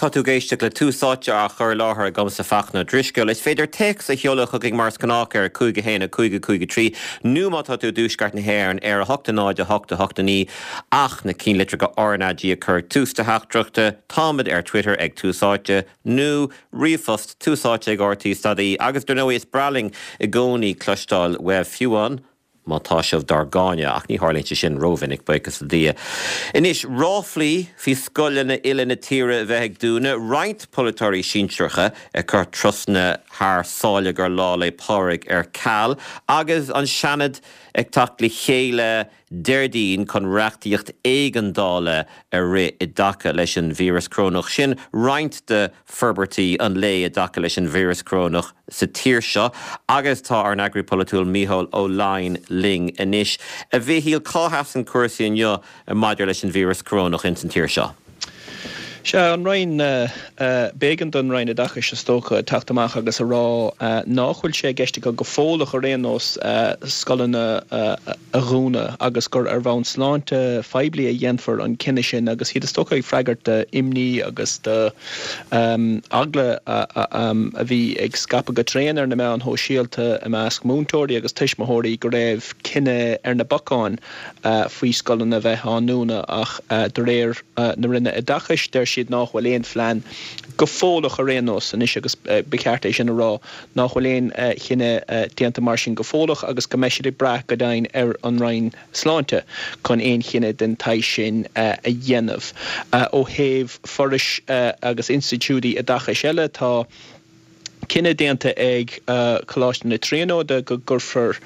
Tá tú ag éisteacht le Tús Áite á chur i láthair agamsa Fachtna Ó Drisceoil. Is féidir téacs a sheoladh chugainn mar is gnách ar 5 1 5 5 3 nó má tá tú i dTuaisceart na hÉireann ar 8 0 8 8 9 ach na cinnlitreacha RnaG a chur ag tús do theachtaireachta. Táimid ar Twitter ag Tús Áite nó ríomhphost túsáite ag rte.ie agus dar ndóigh is breá linn i gcónaí cloisteáil uaibh fiú amháin má tá sibh dár gcáineadh, ach ní tharlaíonn sé sin rómhinic, buíochas le Dia. Anois, ráflaí faoi scoileanna uile na tíre a bheith ag dúnadh, roinnt polaiteoirí sinsearacha ag cur turasanna thar sáile do Lá 'le Pádraig ar ceal, agus an Seanad ag teacht le chéile Déardaoin chun reachtaíocht éigeandála a rith i dtaca leis an víreas corónach. Sin roinnt de forbairtí an lae i dtaca leis an víreas corónach sa tír seo agus tá ár n-eagraí polaitiúil Mícheál Ó Laighin linn anois. A Mhichíl, cá sheasann cúrsaí inniu maidir leis an víreas corónach ins an tír seo? Sea, an Roinn, b'éigean don Roinn Oideachais, is dócha, teacht amach agus a rá nách bhfuil sé i gceist acu go fóilleach ar aon nós scoileanna a dhúnadh agus gur ar bhonn sláinte phoiblí a dhéanfar an cinneadh sin agus iad is dócha ag freagairt d'imní agus do eagla a bhí ag scaipeadh go tréan ar na meáin shóisialta i measc múinteoirí agus tuismitheoirí go raibh cinneadh ar na bacáin faoi scoileanna a bheith á ndúnadh ach de réir na Roinne Oideachais deir siad nách bhfuil aon phlean, go fóilleach ar aon nós anois agus ba cheart é sin a rá, nách bhfuil aon chinneadh déanta mar sin go fóilleach agus go mbeidh siad ag brath go deimhin ar an Roinn Sláinte chun aon chinneadh den tsaghas sin a dhéanamh. Ó thaobh forais agus institiúidí oideachais eile tá cinneadh déanta ag Coláiste na Tríonóide go gcuirfear,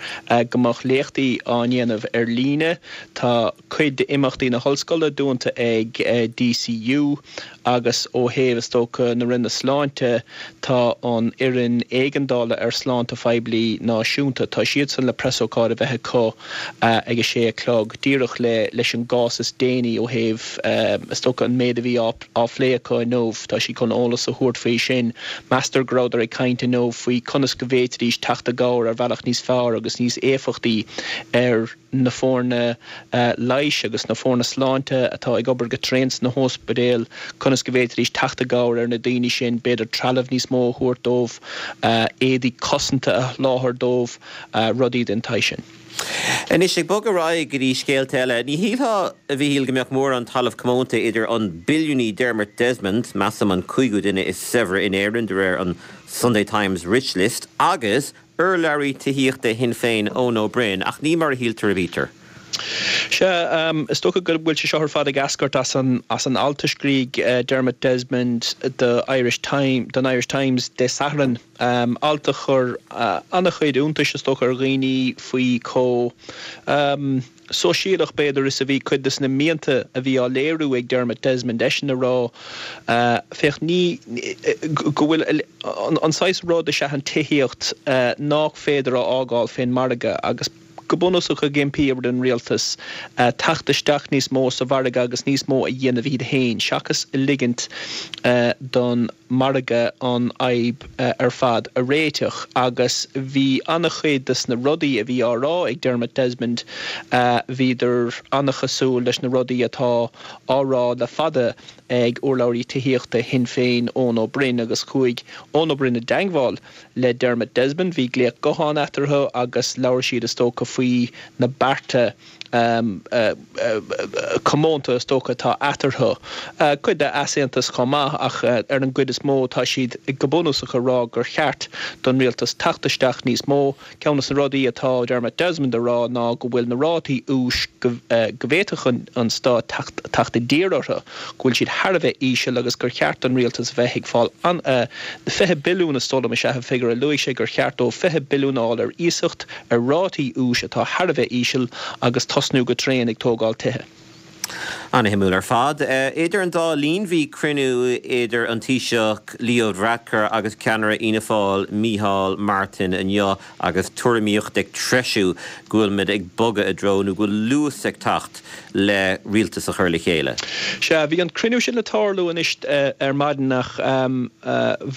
go mbeadh léachtaí á ndéanamh ar líne. Tá cuid d'imeachtaí na hollscoile dúnta ag DCU agus ó thaobh, is dócha, na Roinne Sláinte, tá an Fhoireann Éigeandála ar Shláinte Phoiblí Náisiúnta, tá siadsan le preasócáid a bheith acu ag a sé a chlog, díreach le leis an gcás is déanaí ó thaobh, is dócha, an méid a bhí á á phlé acu inniu. Tá siad chun eolas a thabhairt faoi sin. Meastar go rabhadar ag caint inniu faoi conas go bhféadfaidís teacht i gcabhair ar bhealach níos fearr agus níos éifeachtaí ar na foirne leighis agus na foirne sláinte atá ag obair go tréan sna hóispidéil, conas go bhféadfaidís teacht i gcabhair ar na daoine sin, b'fhéidir trealamh níos mó a thabhairt dóibh, éadaí cosanta a sholáthar dóibh, rudaí den tsaghas sin. Anois, ag bogadh ar aghaidh go dtí scéalta eile, ní shílfeá, a Mhichíl, go mbeadh mórán talamh comónta idir an billiúnaí Dermot Desmond, measaim an cúigiú duine is saibhre in Éirinn de réir an Sunday Times Rich List, agus urlabhraí tithíochta Shinn Féin Eoin Ó Broin, ach ní mar a shíltear a bhítear. Sea, is dócha go bhfuil sé seo ar fad ag eascairt as an as an alt a scrígh Dermot Desmond do Irish Time, don Irish Times Dé Sathairn. Alt a chuir an-chuid iontais, is dócha, ar dhaoine faoi chomh sóisialach, b'fhéidir, is a bhí cuid de na mianta a bhí á léiriú ag Dermot Desmond, eisean ag rá, féach, ní, go bhfuil an saghas rud is ea an tithíocht nách féidir a fhágáil fén margadh agus, go bunúsach ag impí ar an rialtas teacht isteach níos mó sa mhargadh agus níos mó a dhéanamh iad féin seachas ligint don mhargadh an fhadhb ar fad a réiteach. Agus bhí an-chuid de na rudaí a bhí á rá ag Dermot Desmond, bhíodar an-chosúil leis na rudaí atá á rá le fada ag urlabhraí tithíochta Shinn Féin Eoin Ó Broin agus chuaigh Eoin Ó Broin i dteangmháil le Dermot Desmond. Bhí glaoch gutháin eatarthu agus labhair siad is dócha faoi na bearta comónta is dócha atá eatarthu. Cuid de easaontas chomh maith ach ar an gcuid is mó tá siad go bunúsach ag rá gur cheart don rialtas teacht isteach níos mó. Ceann de na rudaí atá Dermot Desmond a rá ná go bhfuil na rátaí úis go bhféadfadh an stát teacht i dtír orthu, go bhfuil siad thar a bheith íseal agus gur cheart don rialtas a bheith ag fáil an 20 billiún is dóigh liom is ea an figiúr a luaigh sé gur cheart dóibh 20 billiún a fháil ar iasacht ar rátaí úis atá thar a bheith íseal agus tosnú go tréan ag tógáil tithe. Ana-shuimiúil ar fad. Idir an dá linn bhí cruinniú idir an Taoiseach Leo Varadkar agus ceannaire Fhianna Fáil Micheál Martin inniu agus tuairimíocht ag treisiú go bhfuil muid ag bogadh i dtreo nó go bhfuil luas ag teacht le rialtas a chur le chéile. Sea, bhí an cruinniú sin le tarlú anois ar maidin ach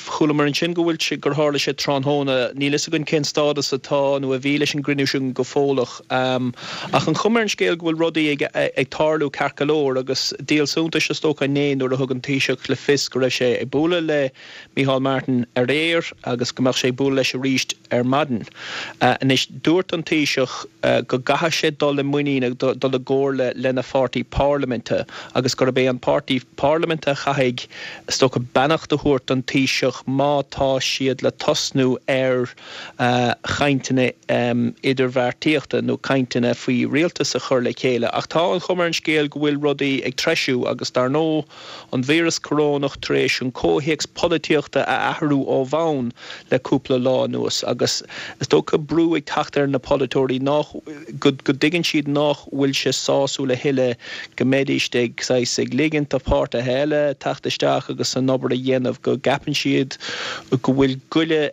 chualamar ansin go bhfuil sé, gur tharla sé tráthnóna. Níl fhios againn cén stádas atá nó a bhí leis an gcruinniú sin go fóilleach. Ach an chuma ar an scéal go bhfuil rudaí ag tarlú ceart go leor. mór agus díol suntais is dócha inné nuair a thug an Taoiseach le fios go raibh sé ag bualadh le Micheál Martin aréir agus go mbeadh sé ag bualadh leis arís ar maidin. Anois, dúirt an Taoiseach go gcaithfidh sé dul i muinín agus dul i gcomhairle lena pháirtí parlaiminte agus gurb é an páirtí parlaiminte a chaithfidh, is dócha, beannacht a thabhairt don Taoiseach má tá siad le tosnú ar chainteanna idirbheartaíochta nó cainteanna faoi rialtas a chur le chéile. Ach tá an chuma ar an scéal go bhfuil rudaí ag treisiú agus, dar ndóigh, an víreas corónach tar éis an comhthéacs polaitíochta a athrú ó bhonn le cúpla lá anuas agus is dócha brú ag teacht ar na polaiteoirí nach, go dtuigeann siad nach bhfuil sé sásúil a thuilleadh go mbeidís ag saghas ag ligint do pháirtithe eile teacht isteach agus an obair a dhéanamh, go gceapann siad go bhfuil goile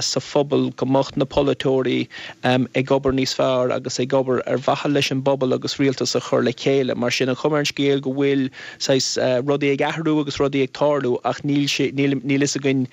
sa phobal go mbeadh na polaiteoirí ag obair níos fearr agus ag obair ar mhaithe leis an bpobal agus rialtas a chur le chéile. Mar sin, an chuma ar an scéal go bhfuil saghas rudaí ag athrú agus rudaí ag tarlú ach níl sé, níl, níl fhios againn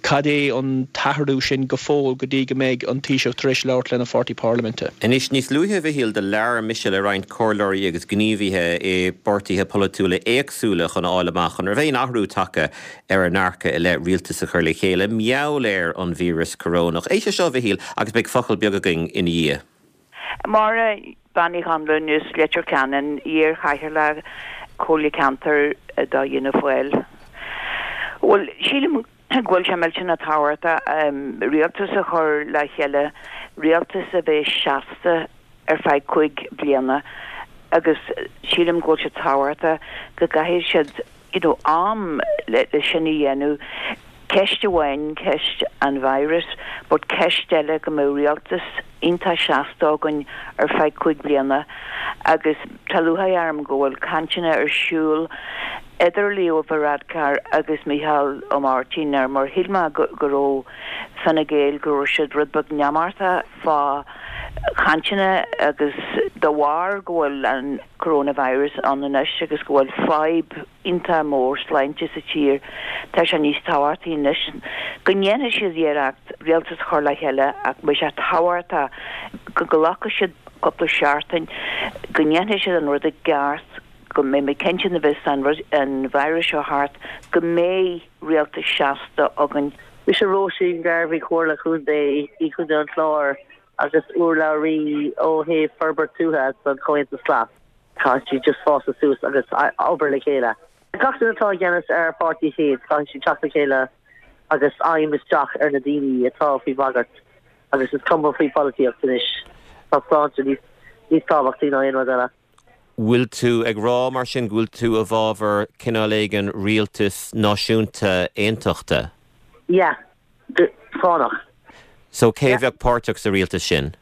cad é an t-athrú sin go fóill go dtí go mbeidh an Taoiseach tar éis labhairt lena pháirtí parlaiminte. Anois, níos luaithe, a Mhichíl, do labhair mise le roinnt comhairleoirí agus gníomhaithe i bpáirtithe polaitiúla éagsúla chun a fháil amach an raibh aon athrú tagtha ar a ndearcadh i leith rialtas a chur le chéile, mar gheall ar an víreas corónach. Éist leis seo, a Mhichíl, agus beidh focal beag againn ina dhiaidh. Máire Bean Uí Chonluain as Leitir Ceanainn, iar-chathaoirleach Comhairle Ceantair do Fhianna Fáil. Bhuel, sílim go bhfuil sé millteanach tábhachtach rialtas a chur le chéile, rialtas a bheidh seasta ar feadh 5 bliana agus sílim go bhfuil sé tábhachtach go gcaithfidh siad you know am le sin a dhéanamh. Ceist amháin ceist an virus but ceist eile go mbeadh rialtas iontach seasta againn ar feadh 5 bliana agus tá lúcháir orm go bhfuil cainteanna ar siúl idir Leo Varadkar agus Micheál Ó Máirtín ar mar shíl mé go raibh Fine Gael go raibh siad rud beag neamartach fá chainteanna agus de bharr go bhfuil an coronavirus ann anois agus go bhfuil fadhb iontach mór sláinte sa tír, tá sé níos tábhachtaí anois go ndéanfaidh siad iarracht rialtas a chur le chéile ach beidh sé tábhachtach go nglacfaidh siad cúpla seachtain, go ndéanfaidh siad an rud i gceart, go mbeidh muid cinnte nuair a bheas an rud, an virus seo thart, go mbeidh rialtas seasta againn. Mise Róisín Garvey, Comhairle Contae i gContae an Chláir agus urlabhraí ó thaobh forbairt tuaithe don Chomhaontas Glas. Caithfidh siad just fásadh suas agus obair le chéile. Gach duine atá i gceannas ar a pháirtí féin, caithfidh siad teacht le chéile agus aidhm isteach ar na daoine atá faoi bhagairt agus is cuma faoi pholaitíocht anois. Tá sláinte níos tábhachtaí ná aon rud eile. Bhfuil tú ag rá mar sin go bhfuil tú i bhfabhar cineál éigin rialtas náisiúnta aontachta? Yeah, go fánach. So cé a bheadh páirteach sa rialtas sin?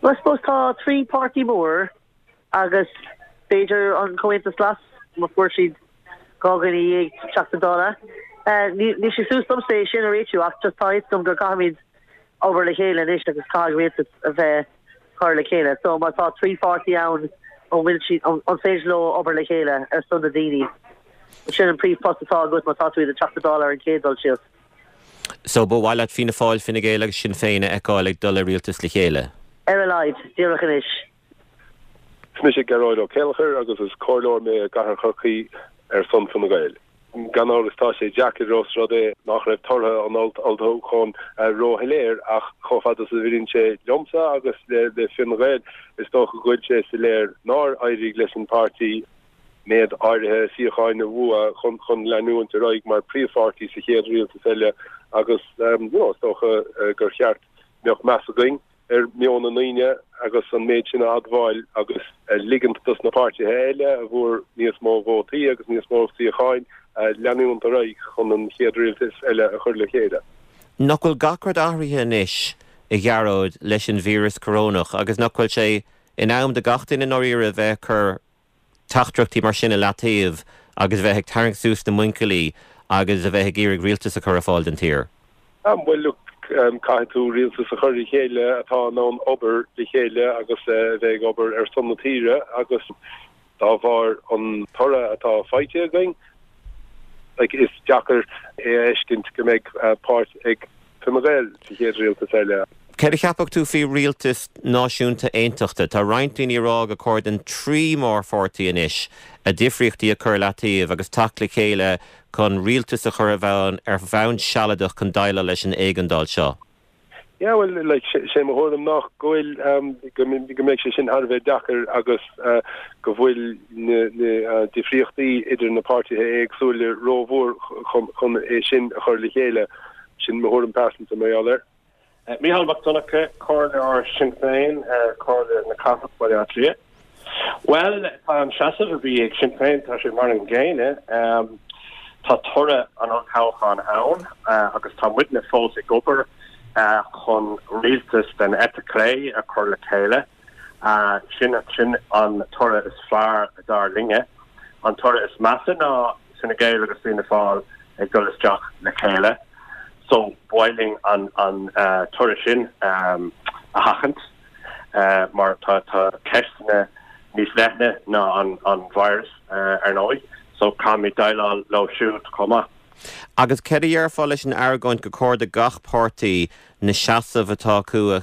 Well I suppose tá 3 páirtí mór agus b'fhéidir an Comhaontas Glas má fuair siad 12 dhuine Teachta Dála. Níl sé suas domsa é sin a réitiú ach just tá a fhios agam go gcaithfimid obair le chéile anois agus caithfidh rialtas a bheith cur le chéile. So má tá 3 pháirtí ann an bhfuil siad, an féidir leo obair le chéile ar son na daoine? Sin an príomhphost atá agat má tá tú i do Teachta Dála ar an chéad dul síos. So ba mhaith leat Fianna Fáil, Fine Gael agus Sinn Féin a fheiceáil ag dul i rialtas le chéile? Ar a laghad, díreach anois. Is mise Gearóid Ó Céilleachair agus is comhairleoir mé i gCathair Chorcaí ar son Fine Gael. Gan amhras tá sé deacair ós rud é nach raibh tortha an olltoghcháin róshoiléir ach chomh fada is a bhaineann sé liomsa agus le Fine Gael is dócha go bhfuil sé soiléir nár éirigh leis an bpáirtí méid áirithe suíocháin a bhua chun leanúint ar aghaidh mar príomhpháirtí sa chéad rialtas eile agus you know is dócha gur cheart mbeadh meas againn ar meon na ndaoine agus an méid sin a admháil agus ligint dos na páirtithe eile a bhfuair níos mó vótaí agus níos mó suíocháin leanúint ar aghaidh chun an chéad rialtas eile a chur le chéile. Nach bhfuil gach rud athraithe anois, a Ghearóid, leis an víreas corónach agus nach bhfuil sé in am do gach duine i ndáiríre a bheith ag cur teachtaireachtaí mar sin i leataobh agus a bheith ag tarraingt suas na muinchillí agus a bheith ag iarraidh rialtas a chur ar fáil don tír. Bhuel, look, caithfidh tú rialtas a chur le chéile atá in ann obair le chéile agus a bheith ag obair ar son na tíre agus dá bharr an toradh atá faighte againn, like, is deacair é a fheiscint go mbeidh páirt ag Fine Gael sa chéad rialtas eile. Céard a cheapfadh tú faoi rialtas náisiúnta aontachta? Tá roinnt daoine ag rá gur chóir don trí mórpháirtí anois a difríochtaí a chur i leataobh agus teacht le chéile chun rialtas a chur i bhfeidhm ar bhonn sealadach chun déileáil leis an éigeandáil seo. Yeah, well, like, sé mo thuairim ná go bhfuil, go mbeidh sé sin thar a bheith deacair agus go bhfuil na difríochtaí idir na páirtithe éagsúla rómhór chun é sin a chur le chéile. Sin mo thuairim pearsanta mar gheall air. Mícheál Mac Donncha, Comhairleoir Sinn Féin ar Chomhairle na Cathrach Baile Átha Cliath. Bhuel, tá an seasamh a bhí ag Sinn Féin, tá sé mar an gcéanna. Tá toradh an olltoghcháin ann agus tá muidne fós ag obair chun rialtas den eite chlé a chur le chéile. Sin sin an toradh is fearr dar linne. An toradh is measa ná Fine Gael agus Fianna Fáil ag dul isteach le chéile. So ba mhaith linn an an toradh sin a sheachaint mar tá tá ceisteanna níos leithne ná an an virus ar ndóigh. So caithfimid déileáil leo siúd chomh maith. Agus céard a dhéarfá leis an argóint gur chóir do gach páirtí na seasaimh atá acu a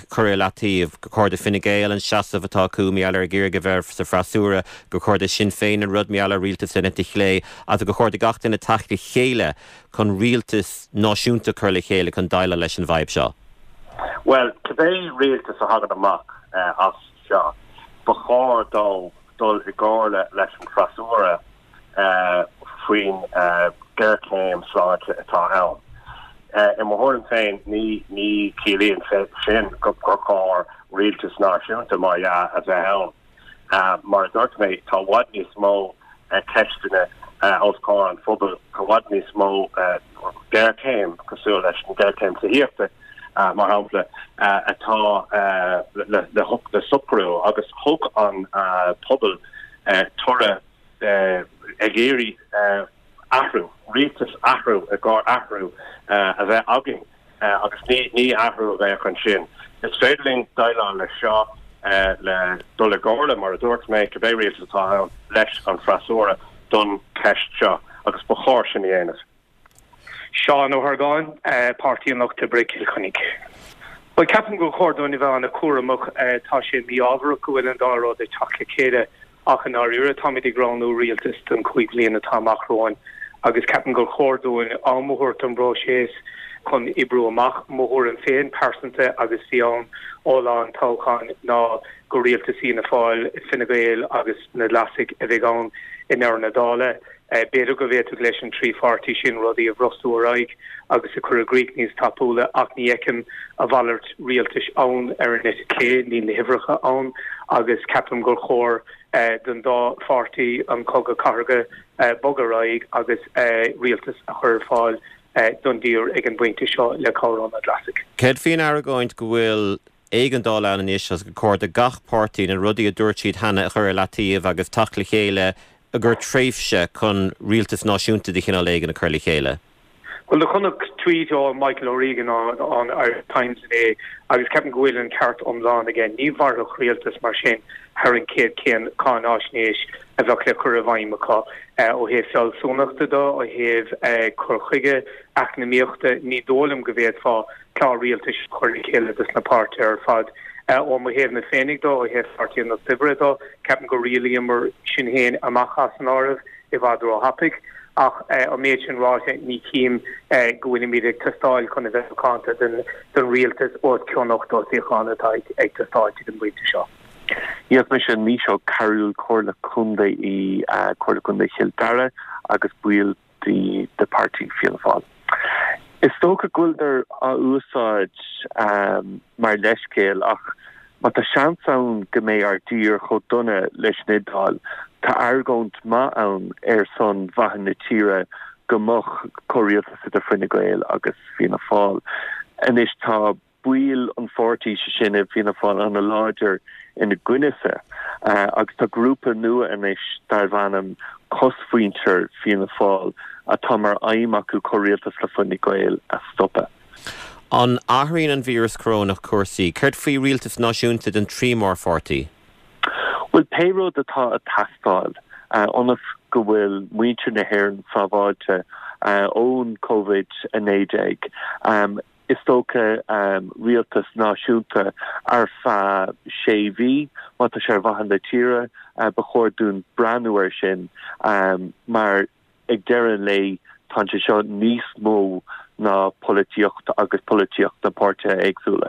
chur i leataobh, gur chóir do Fine Gael an seasamh atá acu mar gheall ar ag iarraidh a bheith sa bhfreasúra, gur chóir do Sinn Féin an rud mar gheall ar rialtas den eite chlé, agus gur chóir do gach duine teacht le chéile chun rialtas náisiúnta a chur le chéile chun déileáil leis an bhfadhb seo? Bhuel, cibé rialtas a thagann amach as seo, ba chóir dó dul i gcomhairle leis an bhfreasúra faoin ghéarchéim sláinte atá ann. I mo thuairim féin, ní chiallaíonn sé sin gur chóir rialtas náisiúnta, mar dhea, a bheith ann. Mar a dúirt mé, tá i bhfad níos mó ceisteanna os comhair an phobail, i bhfad níos mó géarchéim, cosúil leis an ghéarchéim tithíochta, mar shampla, atá le socrú agus thug an pobal toradh ag iarraidh athrú, rialtas athrú i gcomhair athrú a bheith againn agus ní athrú a bheadh ansin. Is féidir linn déileáil leis seo le dul i gcomhairle, mar a dúirt mé, cibé rialtas atá ann, leis an bhfreasúra don cheist seo agus ba chóir sin a dhéanamh. Seán Ó hArgáin, Páirtí an Lucht Oibre, Cill Chainnigh. Bhuel, ceapaim gur chóir dúinn a bheith an-chúramach. Tá sé mí-ámharach go bhfuil an dá rud ag teacht le chéile ach i ndáiríre táimid ag roghnú rialtas don chúig bhliain atá amach romhainn agus ceapaim gur chóir dúinn am a thabhairt don bpróiseas chun oibriú amach. Mo thuairim féin pearsanta agus bhí ann ó lá an toghcháin ná gur rialtas Fhianna Fáil, Fine Gael agus na Glasaigh a bheidh ann i ndeireadh na dála. B'fhéidir go bhféadfadh leis an trí pháirtí sin rudaí a bhrostú ar aghaidh agus a chur i gcrích níos tapúla ach ní fheicim a mhalairt rialtais ann ar an eite chlé, níl na huimhreacha ann agus ceapaim gur chóir don dá pháirtí an cogadh cathartha bogadh ar aghaidh agus rialtas a chur ar fáil don dtír ag an bpointe seo le cabhair ó na Glasaigh. Céard faoin argóint go bhfuil éigeandáil ann anois agus gur chóir do gach páirtí na rudaí a dúirt siad cheana a chur i leataobh agus teacht le chéile i gcomhair tréimhse chun rialtas náisiúnta de chineál éigin a chur le chéile. Bhuel, do chonac tweet ó Michael O'Regan ón Irish Times inné agus ceapaim go bhfuil an ceart iomlán aige. Ní mhairfeadh rialtas mar sin thar an chéad chéad cáináisnéis a bheadh le cur i bhfeidhm acu. Ó thaobh fealsúnachta de, ó thaobh cur chuige eacnamaíochta, ní dóigh liom go bhféadfá clár rialtais a chur le chéile dos na páirtithe ar fad. Ó mo thaobh-na féinig de, ó thaobh Pháirtí an Lucht Oibre de, ceapaim gur rialaíomar Sinn Féin amach as an áireamh i bhfad róthapaidh. Ach an méid sin ráite, ní chím go bhfuilimid ag teastáil chun a bheith macánta don rialtas os cionn 80 suíochán atá ag teastáilt ag an bpointe seo. Yes, mise Naoise Ó Cearúil, Comhairle Contae i Comhairle Contae Chill Dara agus baill de de páirtí Fianna Fáil. Is dócha go bhfuileadar á úsáid mar leithscéal ach má tá seans ann go mbeidh ár dtír chomh dona leis an Iodáil, tá argóint maith ann ar son mhaithe na tíre go mbeadh comhrialtas idir Fine Gael agus Fianna Fáil. Anois tá baill an pháirtí, sé sin i bhFianna Fáil, an-láidir ina gcoinne-sa agus tá grúpa nua anois darbh ainm Cosmhuintir Fianna Fáil atá mar aidhm acu comhrialtas le Fine Gael a stopadh. An athraíonn an víreas corónach cúrsaí? Céard faoi rialtas náisiúnta den trí mórpháirtí? Bhuel, pé rud atá ag teastáil ionas go bhfuil muintir na hÉireann sábháilte ón Covid-19. Is dócha, rialtas náisiúnta ar feadh sé mhí, má tá sé ar mhaithe na tíre, ba chóir dúinn breathnú air sin mar ag deireadh an lae tá sé seo níos mó ná polaitíocht agus polaitíocht na páirtithe éagsúla.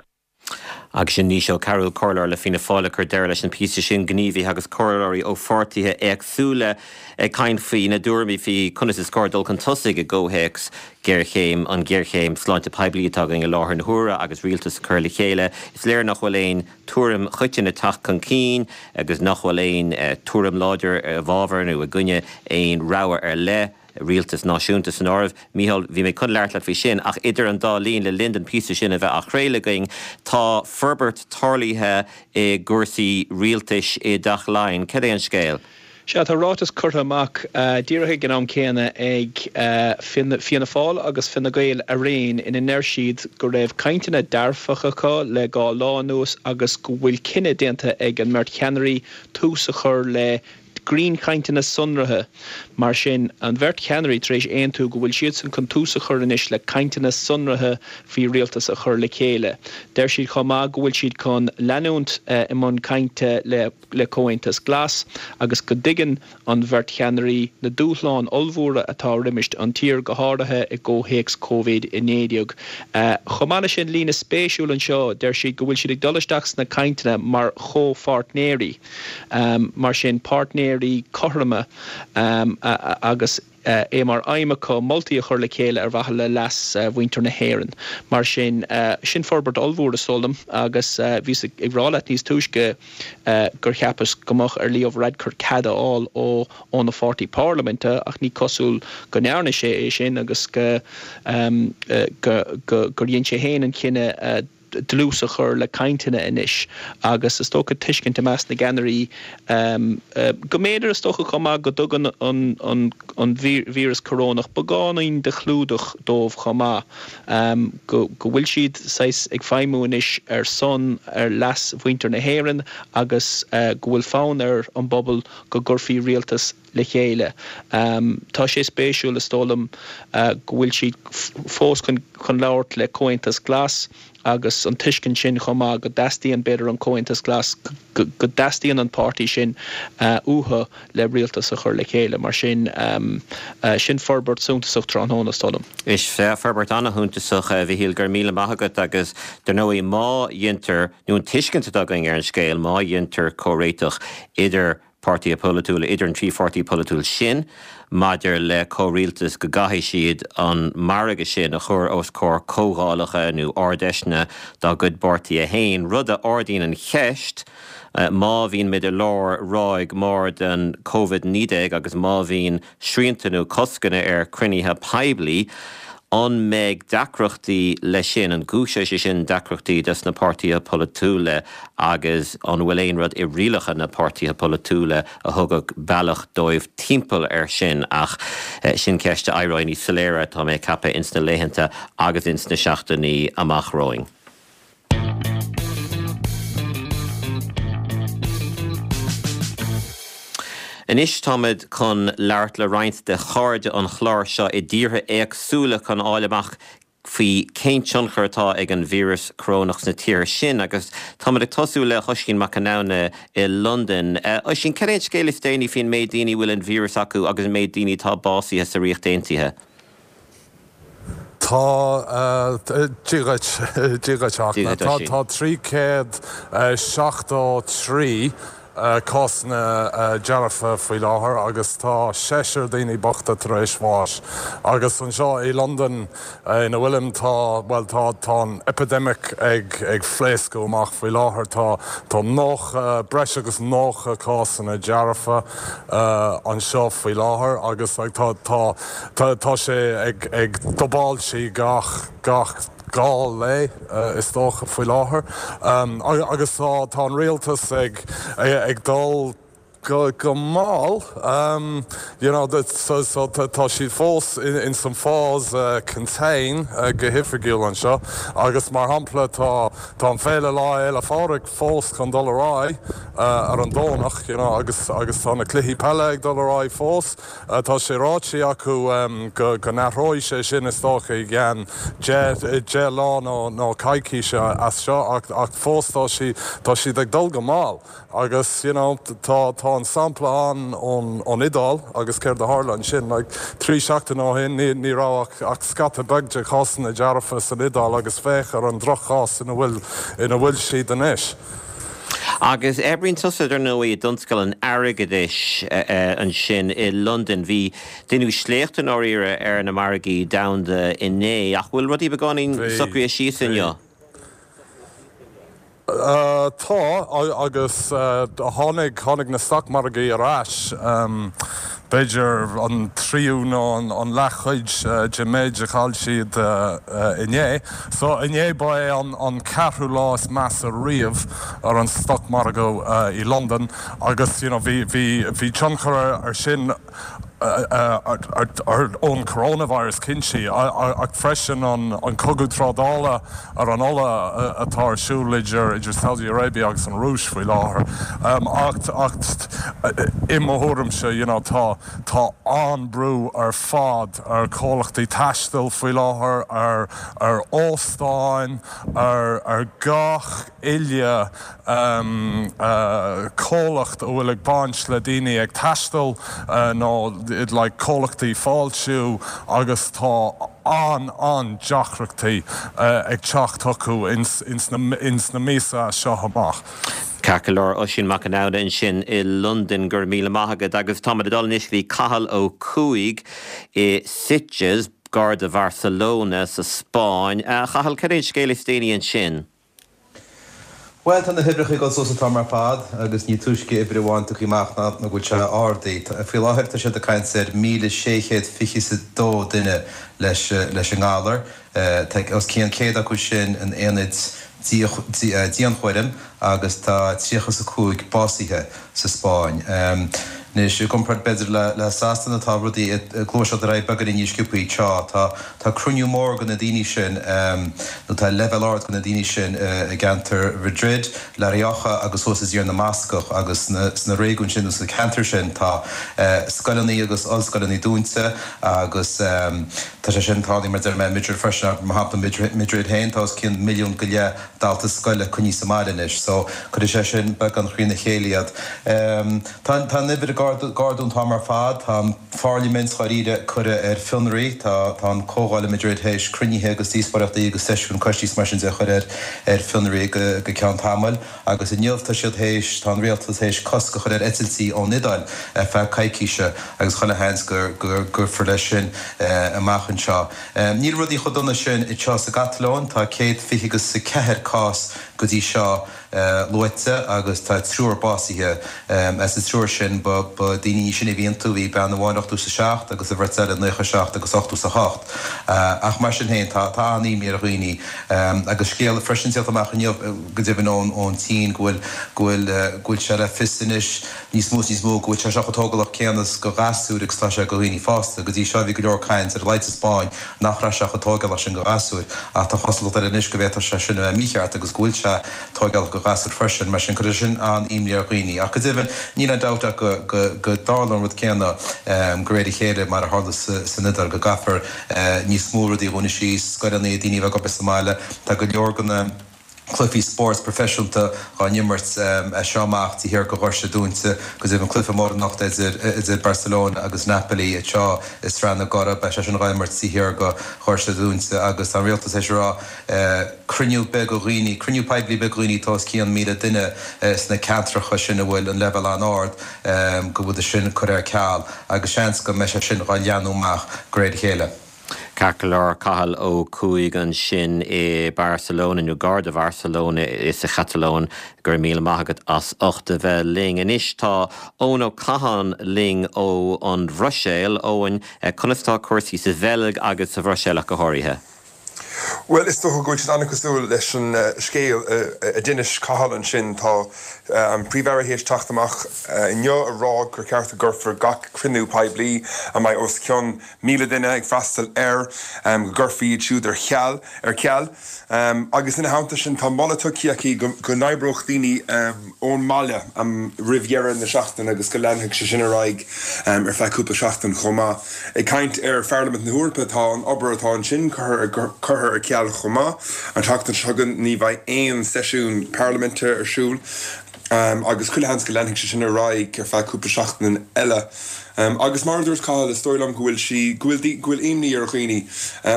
Agus sin Naoise Ó Cearúil, Comhairleoir le Fianna Fáil ag cur deireadh leis an píosa sin, gníomhaithe agus comhairleoirí ó pháirtithe éagsúla ag caint faoina dtuairimí faoi conas is cóir dul chun tosaigh i gcomhthéacs géarchéim, an ghéarchéim sláinte poiblí atá againn i láthair na huaire agus rialtas a chur le chéile. Is léir nach bhfuil aon tuairim choiteann ag teacht chun cinn agus nach bhfuil aon tuairim láidir i bhfabhar nó i gcoinne aon rogha ar leith. rialtas náisiúnta san áireamh. Mícheál, bhí mé chun labhairt leat faoi sin, ach idir an dá linn, le linn don phíosa sin a bheith á chraoladh againn, tá forbairt tarlaithe i gcúrsaí rialtais i dTeach Laighean. Cad é an scéal? Sea, tá ráiteas curtha amach díreach ag an am céanna ag Fianna Fáil agus Fine Gael araon ina ndeir siad go raibh cainteanna dearfacha acu le dhá lá anuas agus go bhfuil cinneadh déanta ag an mbeirt cheannairí tús a chur le grinnchainteanna sonraithe. Mar sin, an bheirt cheannairí tar éis aontú go bhfuil siadsan chun tús a chur anois le cainteanna sonraithe faoi rialtas a chur le chéile. Deir siad chomh maith go bhfuil siad chun leanúint i mbun cainte le le Comhaontas Glas agus go dtuigeann an bheirt cheannairí na dúshláin ollmhóra atá roimis an tír, go háirithe i gcomhthéacs Covid-19. Chomh maith leis sin, líne spéisiúil anseo, deir siad go bhfuil siad ag dul isteach sna cainteanna mar chomhpháirtnéirí. Mar sin, páirtnéirí cothroma agus é mar aidhm acu moltaí a chur le chéile ar mhaithe le leas mhuintir na hÉireann. Mar sin, sin forbairt ollmhór is dóigh liom agus bhíos ag rá leat níos túisce gur cheapas go mbeadh ar Leo Varadkar cead a fháil ó óna pháirtí parlaiminte ach ní cosúil go ndearna sé é sin agus go gur dhein sé féin an cinneadh dlús a chur le cainteanna anois agus is dócha tuiscint i measc na gceannairí go mb'fhéidir is dócha chomh maith go dtugann an víreas corónach beagáinín de chlúdach dóibh chomh maith, go bhfuil siad saghas ag feidhmiú anois ar son, ar leas mhuintir na hÉireann agus go bhfuil fonn ar an bpobal go gcuirfí rialtas le chéile. Tá sé spéisiúil, is dóigh liom, go bhfuil siad fós chun labhairt le Comhaontas Glas agus an tuiscint sin chomh maith go dteastaíonn, b'fhéidir, an Comhaontas Glas, go dteastaíonn an páirtí sin uathu le rialtas a chur le chéile. Mar sin, sin forbairt suntasach tráthnóna, is dóigh liom. Is ea, forbairt an-shuntasach, a Mhichíl, go raibh míle maith agat agus, dar ndóigh, má dheintear, nó an tuiscint atá againn ar an scéal, má dheintear comhréiteach idir páirtithe polaitiúla, idir an trí pháirtí polaitiúil sin, maidir le comhrialtas, go gcaithfidh siad an margadh sin a chur os comhair comhdhálacha nó ard-fheiseanna dá gcuid bpáirtithe féin, rud a ardaíonn an cheist, má bhíonn muid i lár ráig mór den Covid-19 agus má bhíonn srianta nó coscanna ar chruinnithe poiblí, an mbeidh deacrachtaí leis sin, an gcúiseoidh sé sin deacrachtaí dos na páirtithe polaitiúla agus an bhfuil aon rud i rialacha na páirtithe polaitiúla a thugadh bealach dóibh timpeall air sin? Ach sin ceist a éireoidh níos soiléire, tá mé ag ceapadh, ins na laethanta agus ins na seachtainí amach romhainn. Anois táimid chun labhairt le roinnt de chairde an chláir seo i dtíortha éagsúla chun fháil amach faoi cén tionchar atá ag an víreas corónach sna tíortha sin agus táimid ag tosú le hOisín Mac Conamhna i Londain. Oisín, cad é an scéal is déanaí faoin méid daoine a bhfuil an víreas acu agus an méid daoine atá básaithe sa Ríocht Aontaithe? Tá, Dia dhuit, Dia dhuit a Fhachtna. Tá, tá 373 cásanna dearfa faoi láthair agus tá seisear daoine bochta tar éis bháis. Agus anseo i Londain ina bhfuilim tá, bhuel tá, tá an epidemic ag, ag phléascadh amach faoi láthair. Tá, tá 90, breis agus 90 cásanna dearfa anseo faoi láthair agus tá, tá, Tá sé ag dubáilt gach gach 2 lae is dócha faoi láthair agus tá an rialtas ag ag dul. Go go mall you know so so tá siad fós in san phase contain go hoifigiúil anseo agus mar shampla tá tá an féile Lá Fhéile Phádraig fós chun dul ar aghaidh ar an Domhnach you know agus agus tá na cluichí peile ag dul ar aghaidh fós. Tá sé ráite acu go go n-athróidh sé sin is dócha i gceann 10 lá nó nó coicíse as seo ach ach fós tá siad tá siad ag dul go mall. Agus, you know, tá, tá an sampla ann ón, ón Iodáil agus céard a tharla ansin, like, 3 seachtaine ó shin ní, ní raibh ach, ach scata beag de chásanna dearfa san Iodáil agus féach ar an droch-chás ina bhfuil, ina bhfuil siad anois. Agus oibríonn tusa, dar ndóigh, i dtionscal an airgeadais ansin i Londain. Bhí, deineadh sléacht i ndáiríre ar na margaí domhanda inné, ach bhfuil rudaí beagáinín Bhí, socraithe síos bhí. inniu? Tá, agus tháinig, tháinig na stocmhargaí ar ais, b'fhéidir an tríú nó an leathchuid den méid a chaill siad inné. So inné ba é an ceathrú lá is measa riamh ar an stocmhargadh i Londain agus you know bhí, bhí, bhí tionchar ar sin, ón coronavirus cinnte, ach freisin an cogadh trádála ar an ola atá ar siúl idir Saudi Arabia agus an Rúis faoi láthair. Ach i mo thuairimse, you know, tá tá an-brú ar fad ar chomhlachtaí taistil faoi láthair, ar ar óstáin, ar ar gach uile comhlacht a bhfuil ag baint le daoine ag taisteal nó like comhlachtaí fáiltiú agus tá an-an-deacrachtaí ag teacht chucu ins na míosa as seo amach. Ceart go leor, Oisín Mac Con Aodha ansin i Londain, go raibh míle maith agat. Agus táimid ag dul anois go dtí Cathal Ó Cuaig i Sitges, gar do Bharcelona sa Spáinn. A Chathail, cad é an scéal is déanaí ansin? Bhuel, tá na huimhreacha ag dul suas an t-am ar fad agus ní túisce uimhir amháin tugtha amach ná go bhfuil sé ardaithe. Faoi láthair tá siad ag caint ar 1,622 duine leis leis an ngalar. Tá os cionn 100 acu sin in aonaid dianchúraim agus tá 35 básaithe sa Spáinn. Anois, i gcomparáid b'fhéidir le Sasana, tá rudaí ag gluaiseacht ar aghaidh beagáinín níos sciobthaí anseo. Tá tá cruinniú mór de na daoine sin, nó tá leibhéal ard de na daoine sin i gceantar Mhadrid, La Rioja agus thuas i dTír na mBascach agus sna réigiúin sin nó sna ceantair sin tá scoileanna agus ollscoileanna dúnta agus tá sé sin tarlaithe mar a deir mé i Madrid freisin. Mar shampla Madrid féin tá os cionn milliún go leith dalta scoile coinnithe sa mbaile anois so cuirfidh sé sin beagán thrína chéile iad. Tá tá an uimhir ag ardú an t-am ar fad. Tá an phairlimint dháiríre curtha ar fionraí. Tá tá an comhdháil i Madrid théis cruinnithe agus díospóireachtaí agus seisiúin coistí is mar sin de a chur ar ar fionraí go go ceann tamaill agus inniu tá siad théis tá an rialtas théis cosc a chur ar eitiltí ón Iodáil ar feadh coicíse agus chuile sheans go go gcuirfear leis sin amach anseo. Níl rudaí chomh dona sin anseo sa gCatalóin, tá 120 agus 4 cás go dtí seo luaite agus tá triúr básaithe. As an triúr sin ba daoine níos sine a bhí iontu, bhí bean amháin 87 agus an bheirt eile 97 agus 88. Ach mar sin féin, tá an-imní ar dhaoine agus scéal freisin teacht amach inniu go deimhin ón tSín go bhfuil go bhfuil go bhfuil sé le fios anois níos mó is níos mó go bhfuil sé seo chomh tógálach céanna do ghasúir agus atá sé do dhaoine fásta. Go dtí seo bhí go leor caint, ar a laghad sa Spáinn, nach raibh sé chomh tógálach sin do ghasúir ach tá cosúlacht air anois go bhféadfadh sé sin a bheith mícheart agus go bhfuil sé tógálach do ghasúir freisin. Mar sin cuirfidh sin an-imní ar dhaoine. Ach go deimhin níl aon dabht ach go go dtarlóidh an rud céanna de réir a chéile mar a tharla san Iodáil, go gcaithfear níos mó rudaí a dhúnadh síos, scoileanna, daoine a bheith ag obair sa mbaile. Tá go leor de na. cluichí spóirt proifisiúnta dhá n-imirt as seo amach taobh thiar de dhoirse dúnta. Go deimhin cluiche mór anocht idir idir Barcelona agus Napoli anseo i Sraith na gCuradh. Beidh sé sin dhá imirt taobh thiar de dhoirse dúnta agus tá an rialtas théis a rá cruinniú beag de dhaoine, cruinniú poiblí beag de dhaoine atá os cionn 1,000 duine sna ceantracha sin a bhfuil an leibhéal an-ard go bhfuil sin curtha ar ceal agus seans go mbeidh sé sin dhá leathnú amach de réir a chéile. Ceart go leor, Cathal Ó Cuaig ansin i Barcelona, nó gar do Bharcelona sa Chatalóin. Go raibh míle maith agat as ucht a bheith linn. Anois tá Eoin Ó Catháin linn ó an Bhruiséil. Eoin, conas atá cúrsaí sa Bheilg agus sa Bhruiséil ach go háirithe? Bhuel, is dócha go bhfuil siad an-cosúil leis an scéal a d'inis Cathal ansin. Tá an Príomh-Aire théis teacht amach inniu a rá gur cheart go gcuirfear gach cruinniú poiblí a mbeidh os cionn 1,000 duine ag freastal air, go gcuirfí iad siúd ar cheal, ar ceal. Agus ina theannta sin, tá moladh tugtha aici go n-oibreodh daoine ón mbaile roimh dheireadh na seachtaine agus go leanfadh sé sin ar aghaidh ar feadh cúpla seachtain chomh maith. Ag caint ar Pharlaimint na hEorpa, tá an obair atá ansin curtha ar ceal chomh maith. An tseachtain seo chugainn ní bheidh aon seisiún parlaiminte ar siúl agus chuile sheans go leanfaidh sé sin ar aghaidh ar feadh cúpla seachtain eile. Agus mar a dúirt Cathal, is dóigh liom go bhfuil sí, go bhfuil, go bhfuil imní ar dhaoine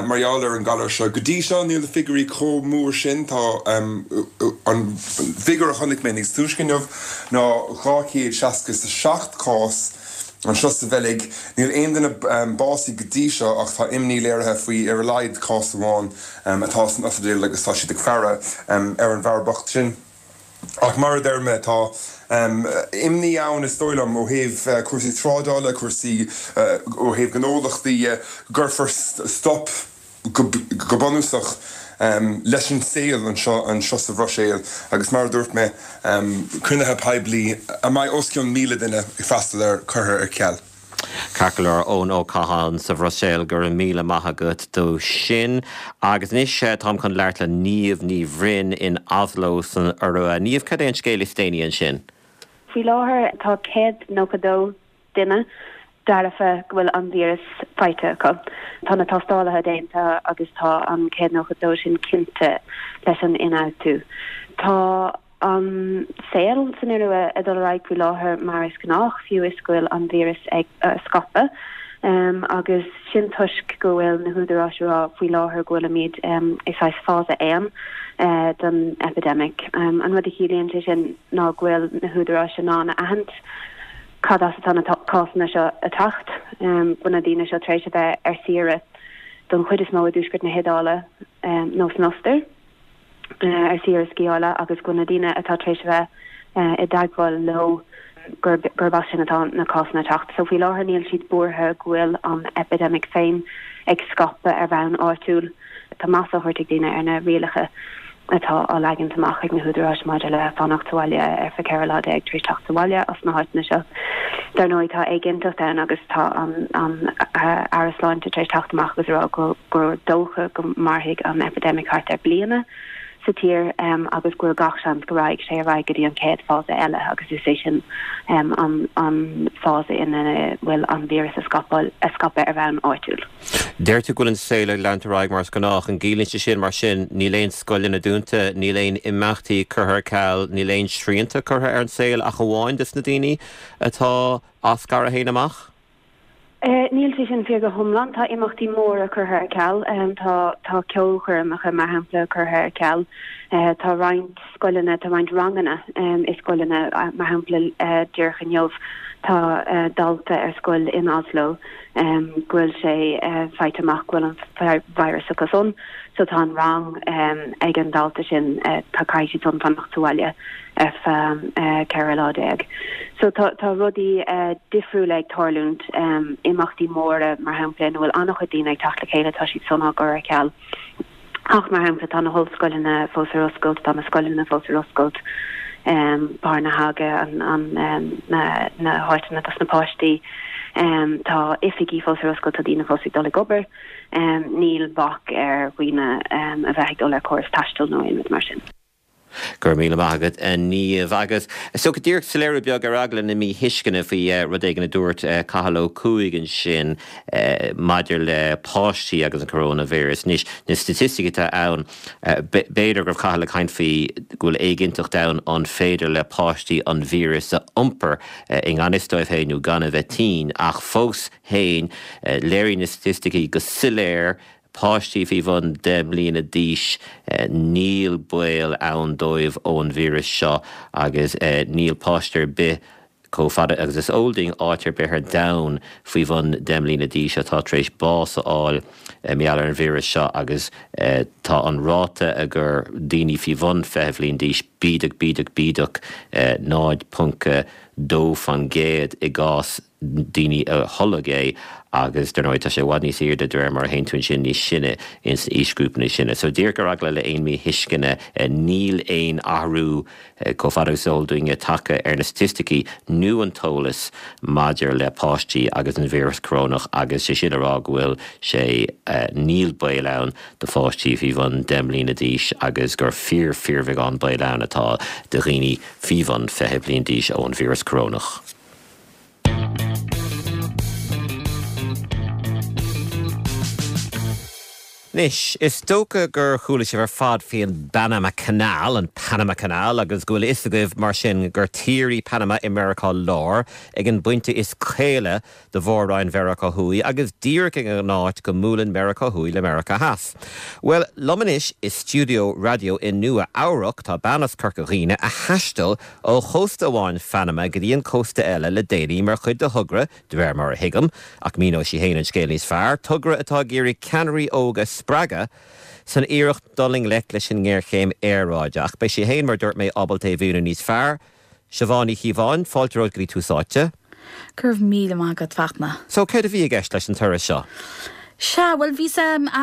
mar gheall ar an galar seo. Go dtí seo níl na figiúirí chomh mór sin, tá an figiúr a chonaic mé níos túisce inniu ná 267 cás anseo sa Bheilg. Níl aon duine básaithe go dtí seo ach tá imní léirithe faoi ar a laghad cás amháin atá san ospidéal agus tá siad ag faire ar an bhfear bocht sin. Ach mar a deir mé, tá imní ann, is dóigh liom, ó thaobh cúrsaí trádála, cúrsaí ó thaobh gnólachtaí dhe, go gcuirfear stop go bunúsach leis an saol anseo anseo sa Bhruiséil agus mar a dúirt mé, cruinnithe poiblí a mbeidh os cionn 1,000 duine ag freastal air curtha ar ceal. Ceart go leor, Eoin Ó Catháin sa Bhruiséil, go raibh míle maith agat dó sin. Agus anois táim chun labhairt le Niamh Ní Bhroin in Oslo san Iorua. Niamh, cad é an scéal is déanaí ansin? Faoi láthair tá 192 duine dearfa go bhfuil an víreas faighte acu. Tá na tástálacha déanta agus tá an 192 sin cinnte leis an ionfhabhtú. Tá an saol san Iorua ag dul ar aghaidh faoi láthair mar is gnách, fiú is go bhfuil an víreas ag scaipeadh, agus sin toisc go bhfuil na húdaráis ag rá faoi láthair go bhfuilimid i saghas fása 1 den epidemic. An rud a chiallaíonn sé sin ná go bhfuil na húdaráis in ann a aithint cad as atá na cásanna seo ag teacht, go bhfuil na daoine seo tar éis a bheith ar saoire don chuid is mó i dtuaisceart na hIodáile nó san Ostair. ar saoire sciála agus go bhfuil na daoine atá tar éis a bheith i dteagmháil leo gurb as sin atá na cásanna ag teacht. So faoi láthair níl siad buartha go bhfuil an epidemic féin ag scaipeadh ar bhonn áitiúil. Tá meas á thabhairt ag daoine ar na rialacha atá á leagant amach ag na húdaráis maidir le fanacht sa bhaile ar feadh 14 lá tar éis teacht sa bhaile as na háiteanna seo. Dar ndóigh tá éiginnteacht ann agus tá an an Aire Sláinte tar éis teacht amach agus a rá go gur dócha go mairfidh an epidemic thart ar bliana sa tír agus go bhfuil gach seans go raghaidh sé ar aghaidh go dtí an chéad fása eile agus is é sin an an fása ina bhfuil an víreas ag scaipeadh ar bhonn áitiúil. Deir tú go bhfuil an saol ag leanúint ar aghaidh mar is gnách. An gciallaíonn sé sin mar sin níl aon scoileanna dúnta, níl aon imeachtaí curtha ar ceal, níl aon srianta curtha ar an saol ach amháin dos na daoine atá á scaradh féin amach? Níl sé sin fíor go hiomlán. Tá imeachtaí móra curtha ar ceal. Tá tá ceolchoirmeacha, mar shampla, curtha ar ceal. Tá roinnt scoileanna, tá roinnt ranganna i scoileanna, mar shampla, díreach inniu tá dalta ar scoil in Oslo go bhfuil sé faighte amach go bhfuil an virus acu san. So tá an rang ag an dalta sin, tá caithfidh siad san fanacht sa bhaile. ar feadh 14 lá. So tá tá rudaí difriúla ag tarlúint, imeachtaí móra mar shampla ina bhfuil an-chuid daoine ag teacht le chéile, tá siad san á gcur ar ceal. Ach mar shampla tá na hollscoileanna fós ar oscailt, tá na scoileanna fós ar oscailt, barnehage, an an na na háiteanna dos na páistí, tá oifigí fós ar oscailt, tá daoine fós ag dul ag obair, níl bac ar dhaoine a bheith ag dul ar córas taistil nó aon rud mar sin. Go raibh míle maith agat, a Niamh. Agus so go díreach soiléiriú beag ar eagla na míthuisceana faoi rud éigin a dúirt Cathal Ó Cuaig ansin maidir le páistí agus an coróinvíreas. Anois, na staitisticí atá ann, b'fhéidir go raibh Cathal ag caint faoi go bhfuil éiginnteacht ann an féidir le páistí an víreas a iompar i ngan fhios dóibh féin nó gan a bheith tinn ach fós féin, léiríonn na staitisticí go soiléir Páistí faoi bhun 10 mbliana d'aois, níl baol ann dóibh ón víreas seo agus níl páiste ar bith, chomh fada agus is eol dúinn, áit ar bith ar domhan faoi bhun 10 mbliana d'aois atá tar éis bás a fháil mar gheall ar an víreas seo agus tá an ráta agur daoine faoi bhun 20 bhliain d'aois bídeach, bídeach, bídeach, 0. 2% i gcás daoine a tholg é agus dar ndóigh tá sé i bhfad níos airde de réir mar a théann tú ansin níos sine ins na aoisghrúpaí níos sine. So díreach ar eagla le aon míthuisceana níl aon athrú chomh fada agus is eol dúinne tagtha ar na staitisticí nó an t-eolas maidir le páistí agus an víreas corónach agus sé sin le rá go bhfuil sé níl baol ann do pháistí faoi bhun 10 mbliana d'aois agus gur fíor fíorbheagán baol ann atá do dhaoine faoi bhun 20 bliain d'aois ón víreas corónach. Anois, is dócha gur chuala sibh ar fad faoi an bPanama Canal, an Panama Canal, agus go bhfuil a fhios agaibh mar sin gur tír í Panama i Meiriceá Láir, ag an bpointe is caola de Mhór-Roinn Mheiriceá Thuaidh agus díreach ag an áit go mbuaileann Meiriceá Thuaidh le Meiriceá Theas. Bhuel, liom anois i stiúideo raidió i Nua Eabhrac tá bean as Corca Dhuibhne a thaistil ó chósta amháin Phanama go dtí an cósta eile le déanaí mar chuid de thogra, de réir mar a thuigim, ach míneoidh sí féin an scéal níos fearr, togra atá ag iarraidh ceannairí óga a spreagadh san iarracht dul i ngleic leis an ngéarchéim aeráide. Ach beidh sí féin, mar a dúirt mé, ábalta é a mhíniú níos fearr. Siobhán Ní Chíobháin, fáilte romhat go dtí Tús Áite. Go raibh míle maith agat, Fachtna. So, céard a bhí i gceist leis an turas seo? Sea, bhuel, bhíos,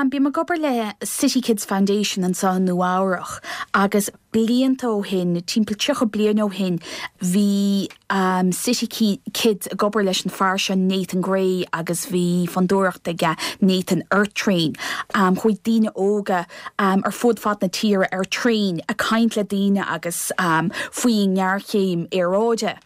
bím ag obair le City Kids Foundation anseo i Nua Eabhrach agus blianta ó shin, timpeall 30 bliain ó shin, bhí City Kids ag obair leis an fear seo Nathan Gray agus bhí fondúireacht aige, Nathan Earth Train. Chuaigh daoine óga ar fud fad na tíre ar traein ag caint le daoine agus faoin ngéarchéim aeráide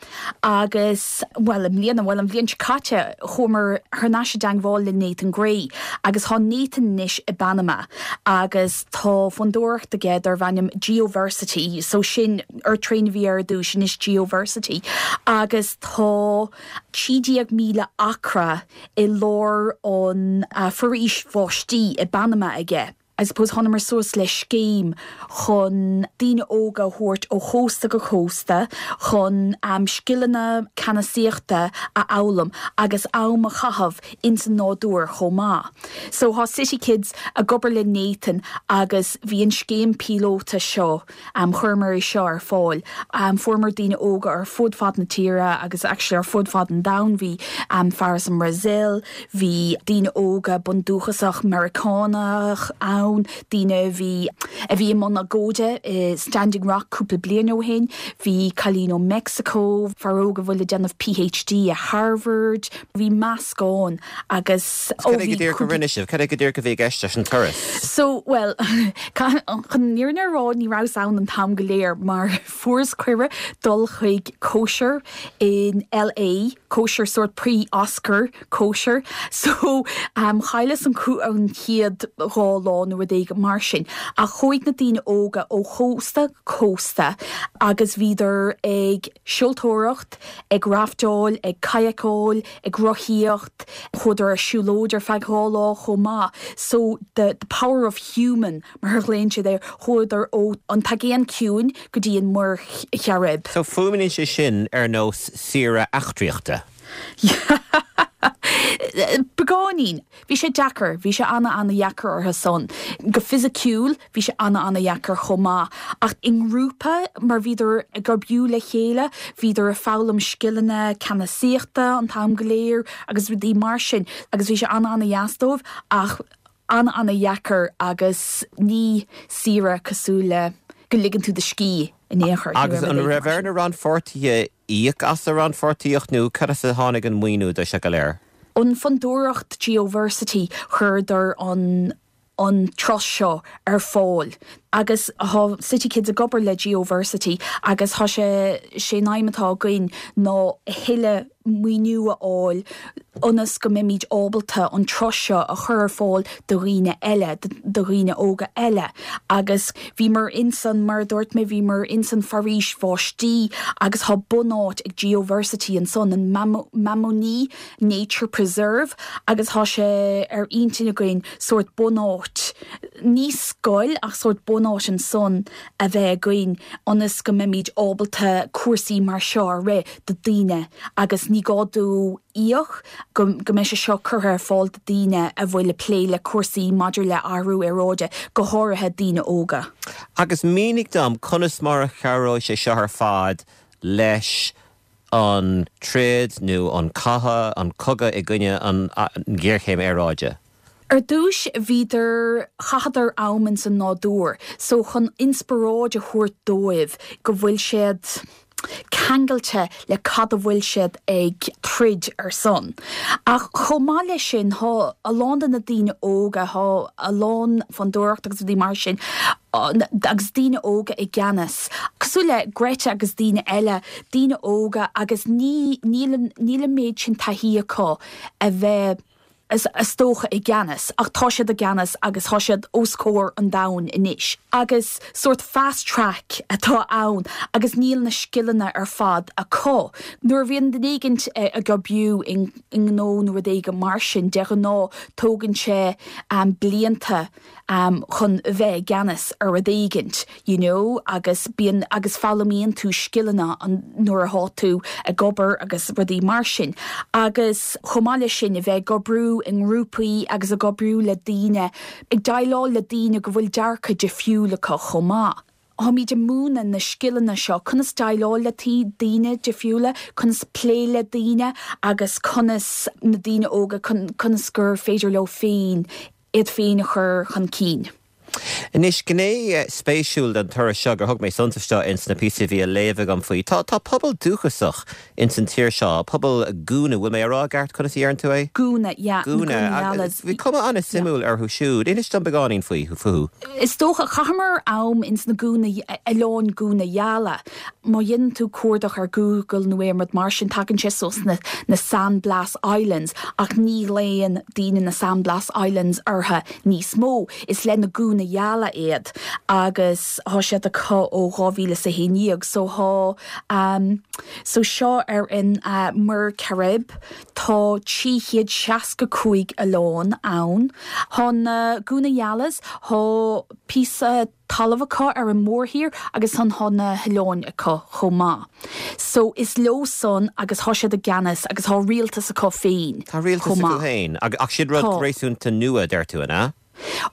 agus, bhuel, i mbliana, bhuel, an bhliain seo caite, chuamar thar n-ais i dteangmháil le Nathan Gray agus tá Nathan anois i bPanama agus tá fondúireacht aige darb ainm Geoversity, so sin Earth Train a bhí air ar dtús, anois Geoversity agus tá 13,000 acra i lár an foraois bháistí i bPanama aige. I suppose thánamar suas le scéim chun daoine óga a thabhairt ó chósta go cósta chun scileanna ceannasaíochta a fhoghlaim agus am a chaitheamh ins an nádúr chomh maith. So thá City Kids ag obair le Nathan agus bhí an scéim píolóta seo Chuireamar é seo ar fáil. Fuaireamar daoine óga ar fud fad na tíre agus actually ar fud fad an domhain. Bhí fear as an mBrasaíl, bhí daoine óga bundúchasach Meiriceánach ann, daoine a bhí a bhí i mbun agóide i Standing Rock cúpla bliain ó shin, bhí cailín ó Meicsiceo, fear óg a bhfuil ag déanamh PhD i Harvard. Bhí meascán agus ó Cad é go bhí díreach a rinne sibh? Cad é go díreach a bhí i gceist leis an turas? So, bhuel, chun an fhírinne a rá, ní rabhas ann an t-am go léir mar fuaireas cuireadh dul chuig cóisir in LA, cóisir sórt pre-Oscar cóisir. So, chailleas an an chéad dhá lá nó rud éigin mar sin. Ach chuaigh na daoine óga ó chósta go cósta agus bhíodar ag seoltóireacht, ag raftáil, ag kayakáil, ag rothaíocht, chuadar ar siúlóid ar feadh dhá lá chomh maith. So the the power of human mar a ghlaonn siad air, chuadar ó an tAigéan Ciúin go dtí an Muir Chairib. So fuaimníonn sé sin ar nós saoire eachtraíochta. Beagáinín. Bhí sé deacair, bhí sé ana-ana-dheacair orthu san. Go fisiciúil, bhí sé ana-ana-dheacair chomh maith. Ach i ngrúpa, mar bhíodar ag oibriú le chéile, bhíodar ag foghlaim scileanna ceannasaíochta an t-am go léir agus rudaí mar sin agus bhí sé ana-ana-dheas dóibh ach ana-ana-dheacair agus ní saoire cosúil le go ligeann tú do scíth in aon chor. Agus an raibh ar na rannpháirtithe íoc as a rannpháirtíocht nó cad as a tháinig an maoiniú do seo go léir? An Fondúireacht Geoversity chuireadar an an turas seo ar fáil agus thá City Kids ag obair le Geoversity agus thá sé sé an aidhm atá againn ná a thuilleadh maoiniú a fháil ionas go mbeimid ábalta an turas seo a chur ar fáil do dhaoine eile, do dhaoine óga eile agus bhíomar insan, mar a dúirt mé, bhíomar insan foraois bháistí agus thá bunáit ag Geoversity ansan, an Mamoní Nature Preserve agus thá sé ar intinn againn sórt bunáit, ní scoil ach sórt bunáit ansan a bheith againn ionas go mbeimid ábalta cúrsaí mar seo a rith do daoine agus ní gá dóibh íoc, go mbeidh sé seo curtha ar fáil do daoine a bhfuil ag plé le cúrsaí maidir le athrú aeráide, go háirithe daoine óga. Agus mínigh dom conas mar a chabhróidh sé seo ar fad leis. an troid nó an cath, an cogadh i gcoinne an ghéarchéim aeráide? Ar dtúis bhíodar, chaitheadar am ins an nádúr, so chun inspioráid a thabhairt dóibh go bhfuil siad ceangailte le cad a bhfuil siad ag troid ar son. Ach chomh maith leis sin thá a lán de na daoine óga, thá a lán fondúireacht agus rudaí mar sin agus daoine óga i gceannas, cosúil le Greta agus daoine eile, daoine óga agus ní, níl an, níl an méid sin taithí acu a bheith, is dócha, i gceannas, ach tá siad i gceannas agus tá siad os comhair an domhain anois. Agus sórt fast track atá ann agus níl na scileanna ar fad acu. Nuair a bhíonn duine éigint ag oibriú i ngnó nó rud éigin mar sin, de ghnáth tógann sé blianta chun bheith i gceannas ar rud éigint you know agus bíonn agus foghlaimíonn tú scileanna nuair athá tú ag obair agus rudaí mar sin agus chomh maith leis sin a bheith ag oibriú i ngrúpaí agus ag oibriú le daoine ag déileáil le daoine go bhfuil dearcadh difriúil acu chomh maith. Táimid ag múineadh na scileanna seo, conas déileáil le daoine difriúla, conas plé le daoine agus conas na daoine óga, conas gur féidir leo féin iad féin a chur chun cinn. Anois, gné spéisiúil den turas seo gur thug mé suntas dó ins na píosaí a bhí á léamh agam faoi, tá tá pobal dúchasach ins an tír seo, pobal Guna, bhfuil mé á rá i gceart conas a dheireann tú é? Guna, yeah, na Guna Yalas. Bhí cuma an-suimiúil orthu siúd. Inis dom beagáinín faoi, fúthu. Is dócha, chaitheamar am ins na Guna, oileáin Guna Yala. Má dhéanann tú cuardach ar Google nó aon rud mar sin, tagann sé suas na na San Blas Islands ach ní ghlaonn daoine na San Blas Islands orthu níos mó. Is le na Guna Yala iad agus thá siad acu ó 2011 so thá ehm so seo ar an Muir Chairib tá 365 oileán ann. Thá na Guna Yalas, thá píosa talamh acu ar an mórthír agus ansan thá na hoileáin acu chomh maith. So is leo san agus thá siad i gceannas agus thá rialtas acu féin Tá rialtas chomh acu maith. féin ach sin rud Tá. réasúnta nua, deir tú, an ea?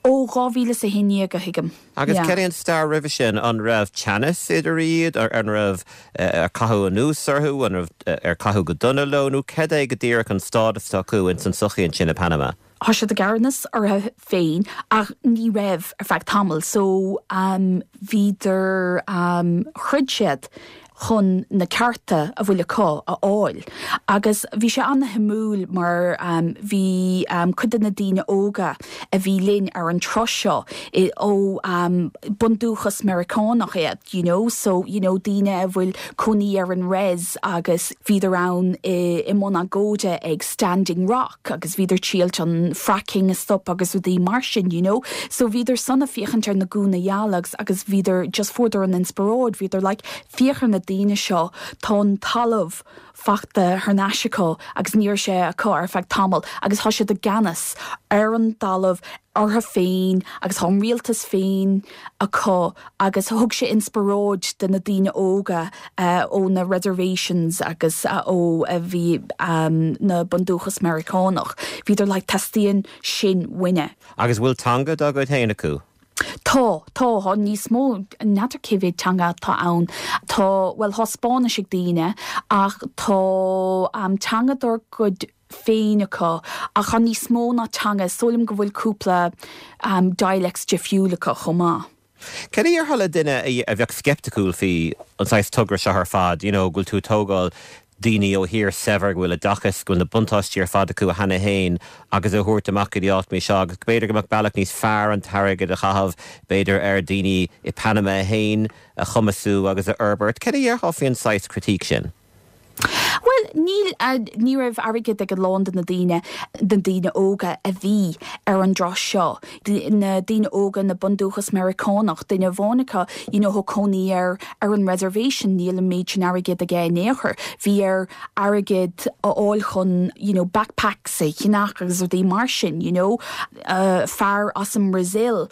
Ó 2011 a thuigim. Agus Yeah. cad é an stair roimhe sin? An raibh teannas idir iad? An raibh, ar caitheadh anuas orthu? An raibh, ar caitheadh go dona leo? Nó cad é go díreach an stádas atá acu ins an tsochaí ansin i Panama? Thá siad i gceannas orthu féin ach ní raibh ar feadh tamaill so bhíodar throid siad chun na cearta a bhfuil acu a fháil agus bhí sé ana-shuimiúil mar bhí cuid de na daoine óga a bhí linn ar an turas seo ó bundúchas Meiriceánach iad you know so you know daoine a bhfuil cónaí ar an rez agus bhíodar ann i mbun agóide ag Standing Rock. agus bhíodar triailt an fracking a stop agus rudaí mar sin you know. So bhíodar san ag féachaint ar na Guna Yala agus agus bhíodar just fuaireadar an inspioráid, bhíodar like féach ar na daoine seo, tá an talamh fachta thar n-ais acu agus ní raibh sé acu ar feadh tamaill agus tá siad i gceannas ar an dtalamh orthu féin agus tá an rialtas féin acu agus thug sé inspioráid do na daoine óga ó na reservations agus ó a bhí na bundúchas Meiriceánach. Bhíodar like teastaíonn sin uainne. Agus bhfuil teanga dá gcuid féin acu? Tá, tá, tá níos mó, n'fheadar cé mhéad teanga atá ann. Tá, bhuel, tá Spáinnis ag daoine ach tá teanga dár gcuid féin acu ach tá níos mó ná teanga, is dóigh liom go bhfuil cúpla dialects difriúil acu chomh maith. Cad a dhéarfá le duine a bheadh sceipticiúil faoi an saghas togra seo ar fad, you know go bhfuil tú ag tógáil daoine ó thír saibhir go bhfuil oideachas, go bhfuil na buntáistí ar fad acu cheana féin agus a thabhairt amach go dtí áit mar seo agus b'fhéidir go mbeadh bealach níos fearr an t-airgead a chaitheamh b'fhéidir ar daoine i Panama féin a chumasú agus a fhorbairt. Cad a dhéarfá faoin saghas critique sin? Bhuel, níl, ní raibh airgead ag a lán de na daoine, na daoine óga a bhí ar an dturas seo. Na daoine óga, na bundúchas Meiriceánach, duine amháin acu, you know, thá cónaí air ar an reservation, níl an méid sin airgid aige in aon chor. Bhí air airgead a fháil chun, you know, backpacks a cheannach agus rudaí mar sin, you know. Fear as an mBrasaíl,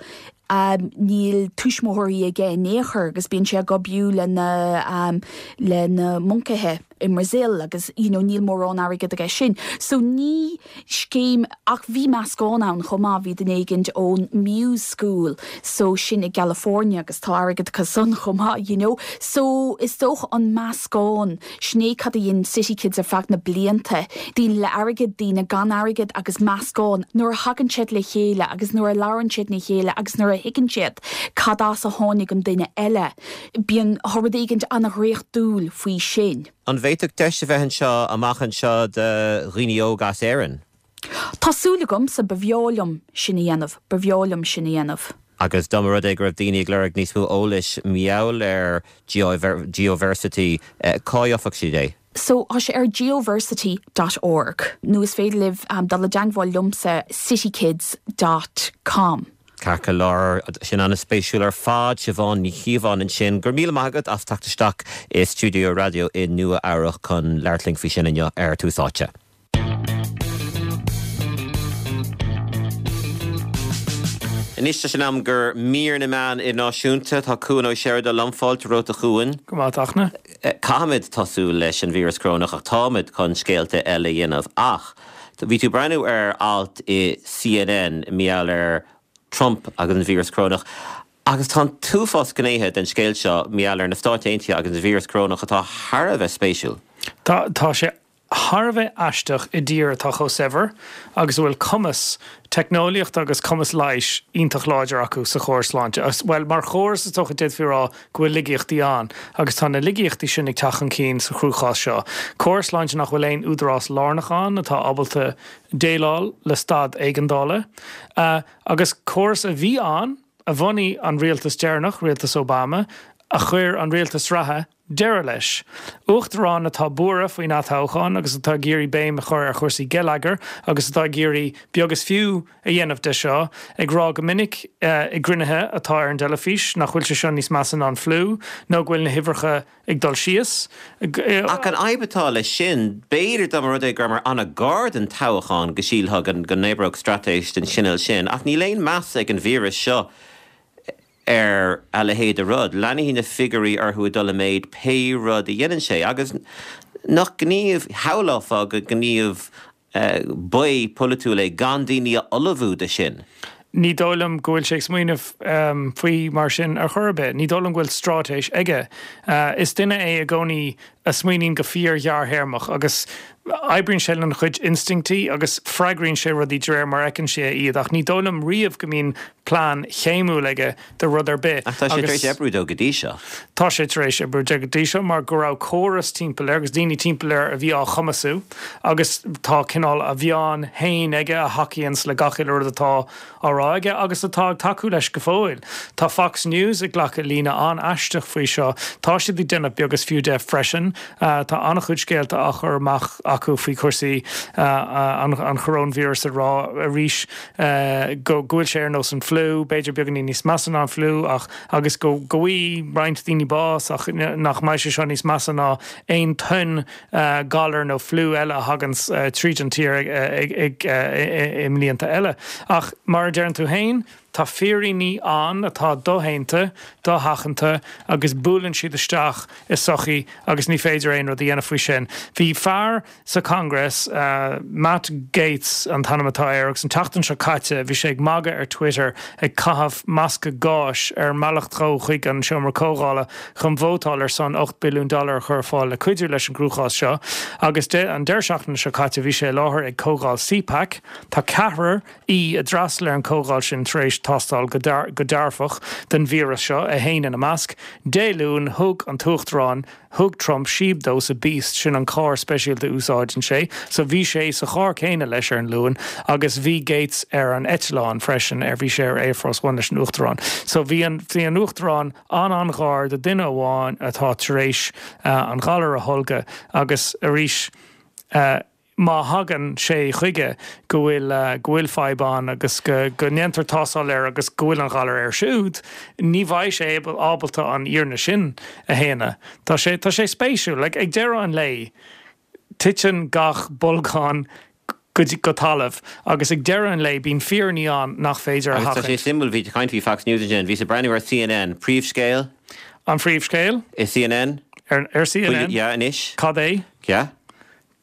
Níl tuismitheoirí aige in aon chor agus bíonn sé ag oibriú le na le na moncaithe. i mBrazil agus you know níl mórán airgead aige sin. So ní scéim, ach bhí meascán ann chomh maith, bhí duine éigint ón Muse School so sin i gCalifornia agus tá airgead acu san chomh maith you know. So is dócha an meascán, sin é cad a dhein City Kids ar feadh na blianta, daoine le airgead, daoine gan airgead agus meascán, nuair a thagann siad le chéile agus nuair a labhrann siad le chéile agus nuair a thuigeann siad cad as a tháinig an duine eile, bíonn, tá rud éigint an-dhraíochtúil faoi sin. An bhféadfadh deis a bheith anseo amach anseo do dhaoine óga as Éirinn? Tá súil agamsa, ba bhreá liom sin a dhéanamh, ba bhreá liom sin a dhéanamh. Agus dá mba rud é go raibh daoine ag lorg níos mó eolais mar gheall ar Geoversity, cá gheobhadh siad é? So, tá sé ar geoversity dot org nó is féidir libh dul i dteangmháil liomsa citykids dot com. Ceart go leor, sin an-spéisiúil ar fad. Siobhán Ní Chíobháin ansin. Go raibh míle maith agat as teacht isteach i stiúideo raidió i Nua Eabhrach chun labhairt linn faoi sin inniu ar Tús Áite. Anois tá sé in am do mhír na meán idirnáisiúnta. Tá Cuan Ó Seireadáin liom. Fáilte romhat a Chuain. Go maith, a Fhachtna. Caithfimid tosú leis an víreas corónach ach táimid chun scéalta eile a dhéanamh. Ach bhí tú ag breathnú ar alt i CNN mar gheall ar Trump agus an víreas corónach agus tá an t-uafás gnéithe den scéal seo mar gheall ar na Stáit Aontaithe agus an víreas corónach atá thar a bheith spéisiúil. Tá, tá sé thar a bheith aisteach i dtír atá chomh saibhir agus a bhfuil cumas teicneolaíochta agus cumas leighis iontach láidir acu sa chóras sláinte. Bhuel, mar chóras is dócha d'fhéadfaí a rá go bhfuil laigeachtaí ann agus tá na laigeachtaí sin ag teacht chun cinn sa chruachás seo. Córas sláinte nach bhfuil aon údarás lárnach ann atá ábalta déileáil le staid éigeandála agus córas a bhí ann a bhunaigh an rialtas deireanach, rialtas Obama, a chuir an rialtas reatha deireadh leis. Uachtarán atá buartha faoin atoghchán agus atá ag iarraidh béim a chur ar chúrsaí geilleagair agus atá ag iarraidh beag is fiú a dhéanamh de seo, ag rá go minic i gcruinnithe atá ar an dteilifís nach bhfuil sé seo níos measa ná an fliú nó go bhfuil na huimhreacha ag dul síos. Ach an fhadhb atá leis sin, b'fhéidir dá mba rud é go rabhamar an-ghar don toghchán go sílfeá go n-oibreodh straitéis den chineál sin, ach níl aon meas ag an víreas seo ar a leithéid de rud. Leanfaidh na figiúirí orthu ag dul i méid pé rud a dhéanann sé. Agus nach gníomh, shamhlófá gur gníomh baoth polaitiúil é gan daoine a ullmhú do sin. Ní dóigh liom go bhfuil sé ag smaoineamh faoi mar sin ar chor ar bith. Ní dóigh liom go bhfuil straitéis aige. Is duine é i gcónaí a smaoiníonn go fíor-ghearrthéarmach agus oibríonn sé lena chuid instinctí agus freagraíonn sé rudaí de réir mar a fheiceann sé iad ach ní dóigh liom riamh go mbíonn plean céimiúil aige do rud ar bith. Ach tá sé tar éis oibriú dó go dtí seo. Tá sé tar éis oibriú dó go dtí seo mar go raibh córas timpeall air agus daoine timpeall air a bhí á chumasú agus tá cineál a mheáin féin aige a thacaíonns le gach uile rud atá á rá aige agus atá ag tacú leis go fóill. Tá Fox News ag glacadh líne an-aisteach faoi seo. Tá siad ag déanamh beag is fiú de freisin. Tá an-chuid scéalta á chur amach acu faoi chúrsaí an choróinvíris ag rá arís go bhfuil sé ar nós an fliú, b'fhéidir beagáinín níos measa ná an fliú ach agus go bhfaighidh roinnt daoine bás ach nach mbeidh sé seo níos measa ná aon tonn galar nó fliú eile a thaganns tríd an tír i mblianta eile. Ach mar a deireann tú féin, tá fírinní ann atá doshéanta, dosheachanta agus buaileann siad isteach i sochaí agus ní féidir aon rud a dhéanamh faoi sin. Bhí fear sa Congress, Matt Gaetz an t-ainm atá air, agus an tseachtain seo caite bhí sé ag magadh ar Twitter ag caitheamh masca gáis ar an mbealach dó chuig an seomra comhdhála chun vótáil ar son 8 billiún dollar a chur ar fáil le cuidiú leis an gcruachás seo agus an deireadh seachtaine seo caite bhí sé i láthair ag comhdháil CPAC. Tá ceathrar aoi a d'fhreastail ar an comhdháil sin tar éis tástáil go dearfach don víreas seo, é féin ina measc. Dé Luain thug an tUachtarán Thug Trump síob dó sa Beast, sin an carr speisialta a úsáideann sé, so bhí sé sa charr céanna leis ar an Luan agus bhí Gaetz ar an eitleán freisin, ar bhí sé ar Air Force One leis an Uachtarán. So bhí an, bhí an Uachtarán an-an-ghar do duine amháin atá tar éis an galar a tholgadh agus arís, má thagann sé chuige go bhfuil go bhfuil fadhb ann agus go go ndéantar tástáil air agus go bhfuil an galar air siúd, ní bheidh sé ábalta an fhírinne sin a shéanadh. Tá sé tá sé spéisiúil. Like, ag deireadh an lae, titeann gach bolgán go go talamh agus ag deireadh an lae bíonn fírinní ann nach féidir a Agus tá sé sheachaint. suimiúil, bhí tú ag caint faoi Fox News ansin, bhíos ag breathnú ar CNN, príomhscéal? An phríomhscéal? I CNN? Ar CNN? Yeah, anois. Cad é? Yeah.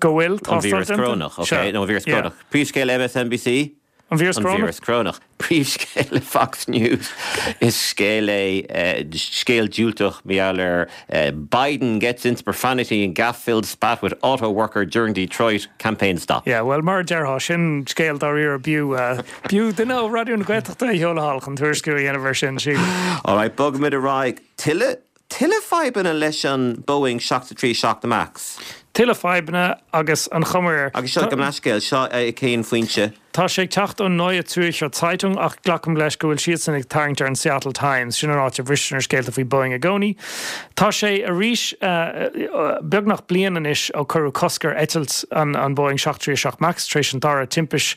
Go bhfuil tástáil déanta? An víreas corónach, ok. Nó an víreas corónach. Príomhscéal MSNBC? An víreas corónach. An víreas corónach. Príomhscéal Fox News. Is scéal é, scéal diúltach mar gheall ar Biden gets into profanity in gaffe-filled spat with auto worker during Detroit campaign stop. Yeah, bhuel, mar a déarfá, sin scéal dáiríre b'fhiú, b'fhiú duine ó Raidió na Gaeltachta a sheoladh thall chun tuairisciú a dhéanamh air sin, sílim. Alright, bogfaimid ar aghaidh. Tuilleadh Tuilleadh fadhbanna leis an Boeing 737 Max. Tuilleadh fadhbanna agus an chuma air. Agus seo, gabh mo leithscéal, seo cén foinse? Tá sé ag teacht ón Neue Zürcher Zeitung ach glacaim leis go bhfuil siadsan ag tarraingt ar an Seattle Times, sin an áit a bhristear na scéalta faoi Boeing i gcónaí. Tá sé arís beagnach bliain anois ó cuireadh cosc ar eitilt an Boeing 737 Max tar éis an dara timpist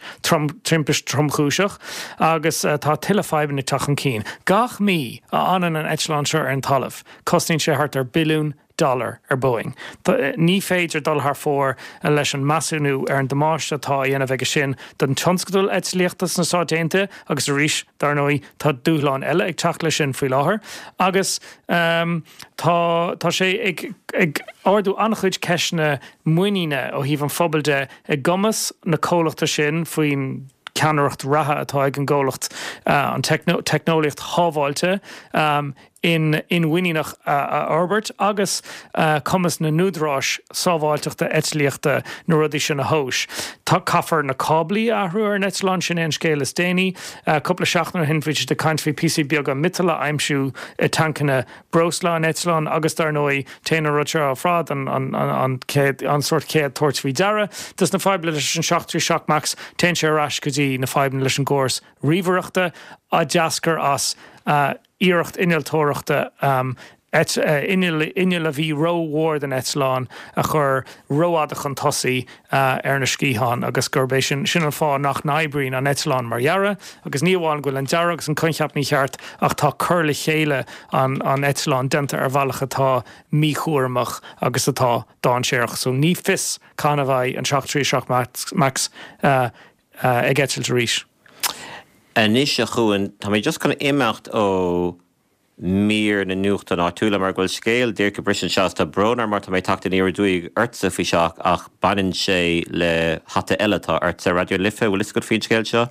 tromchúiseach agus tá tuilleadh fadhbanna ag teacht chun cinn. Gach mí a fhanann an eitleán seo ar an talamh, cosnaíonn sé thart ar billiún dollar ar Boeing. Ní féidir dul thar fóir leis an measúnú ar an damáiste atá á dhéanamh aige sin don tionscadal eitlíochta sna Stáit Aontaithe agus arís, dar ndóigh, tá dúshláin eile ag teacht leis sin faoi láthair agus tá tá sé ag ag ardú an-chuid ceisteanna muiníne ó thaobh an phobail de i gcumas na comhlachta sin faoin ceannaireacht reatha atá ag an gcomhlacht an teicneolaíocht shábháilte inmhuiníneach a fhorbairt agus cumas na n-údaráis sábháilteachta eitlíochta na rudaí sin a thomhas. Caithfear na cáblaí a athrú ar an eitleán, sin é an scéal is déanaí. Cúpla seachtain ó shin bhí siad ag caint faoi píosaí beaga miotail a aimsiú i tancanna breosla an eitleáin agus dar ndóigh téann an rud seo ar fad an an chéad an sórt chéad tabhairt faoi deara dos na fadhbanna leis an 737 Max téann sé ar ais go dtí na fadhbanna leis an gcóras ríomhaireachta a d'eascair as iarracht innealtóireachta inneall inneall a bhí rómhór don eitleán a chur rófhada chun tosaigh ar na sciatháin agus gurb é sin sin an fáth nach n-oibríonn an eitleán mar dhearadh agus ní amháin go bhfuil an dearadh agus an coincheap mícheart ach tá cur le chéile an an eitleáin déanta ar bhealach atá míchúramach agus atá dainséarach. So ní fios cathain a bheidh an 737 Max Max ag eitilt arís. Anois a Chuain, tá mé just chun imeacht ó mír na nuachtán áitiúla mar go bhfuil scéal díreach ag briseadh anseo is tá brón orm mar tá mé ag teacht aniar aduaidh ortsa faoi seach ach baineann sé le hata eile atá ortsa. Raidió na Life, bhfuil fhios agat faoin scéal seo?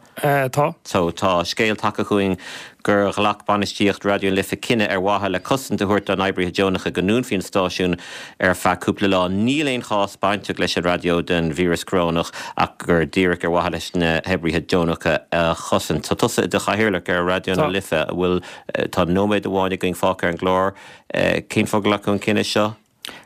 Tá. So tá scéal tagtha chugainn gur ghlac bainistíocht Raidió na Life cinneadh ar mhaithe le cosaint a thabhairt dá n-oibrithe deonacha go ndúnfaí an stáisiún ar feadh cúpla lá. Níl aon chás bainteach leis an raidió den víreas corónach ach gur díreach ar mhaithe leis na hoibrithe deonacha a chosaint. Tá tusa i do chathaoirleach ar Raidió na Life, an bhfuil Tá nóiméad amháin againn fágtha ar an gclár. Cén fáth gur glacadh an cinneadh seo?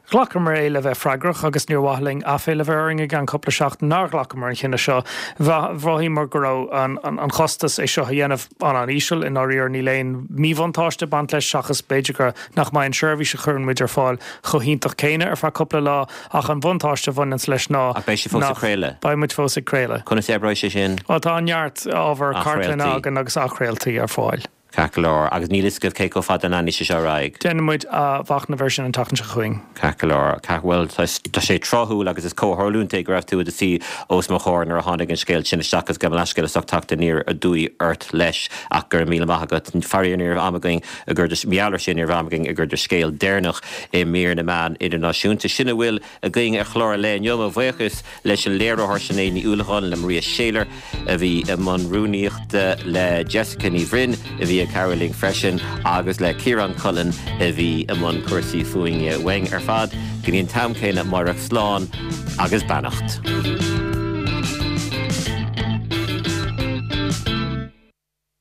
Ghlacamar é le bheith freagrach agus níor mhaith linn aiféala a bheith orainn i gceann cúpla seachtain nár ghlacamar an chinneadh seo. Mhothaíomar go raibh an chostas é seo a dhéanamh an-an-íseal. I ndáiríre níl aon míbhuntáiste ag baint leis seachas b'fhéidir go nach mbeidh an seirbhís a chuireann muid ar fáil chomh hiontach céanna ar feadh cúpla lá ach an bhuntáiste a bhaineanns leis ná Ach beidh sibh fós ag craoladh? Beidh muid fós ag craoladh. Conas a oibreoidh sé sin? Bhuel tá neart ábhar cartlainne againn agus athchraoltaí ar fáil. Ceart go leor. Agus níl fhios agaibh cé chomh fada a leanfaidh sé seo ar aghaidh? Déanfaidh muid athmhachnamh air sin an tseachtain seo chugainn. Ceart go leor. Ceart, bhuel, tá sé tráthúil agus is comhtharlúint é go raibh tú i do suí os mo chomhair nuair a tháinig an scéal sin isteach agus gabh mo leithscéal as ucht teacht aniar aduaidh ort leis ach go raibh míle maith agat. Faraor ní raibh am againn a gcur de, mar gheall air sin ní raibh am againn ag cur do scéal deireanach i mír na meán idirnáisiúnta. Sin a bhfuil againn ar chlár an lae inniu. Mo bhuíochas leis an léiritheoir Sinéad Ní Uallacháin, le Maria Shayler a bhí i mbun rúnaíochta, le Jessica Ní Bhroin a bhí ag cabhrú linn freisin agus le Ciarán Cullen a bhí i mbun cúrsaí fuaime. Uainn ar fad go dtí an t-am céanna amárach, slán agus beannacht.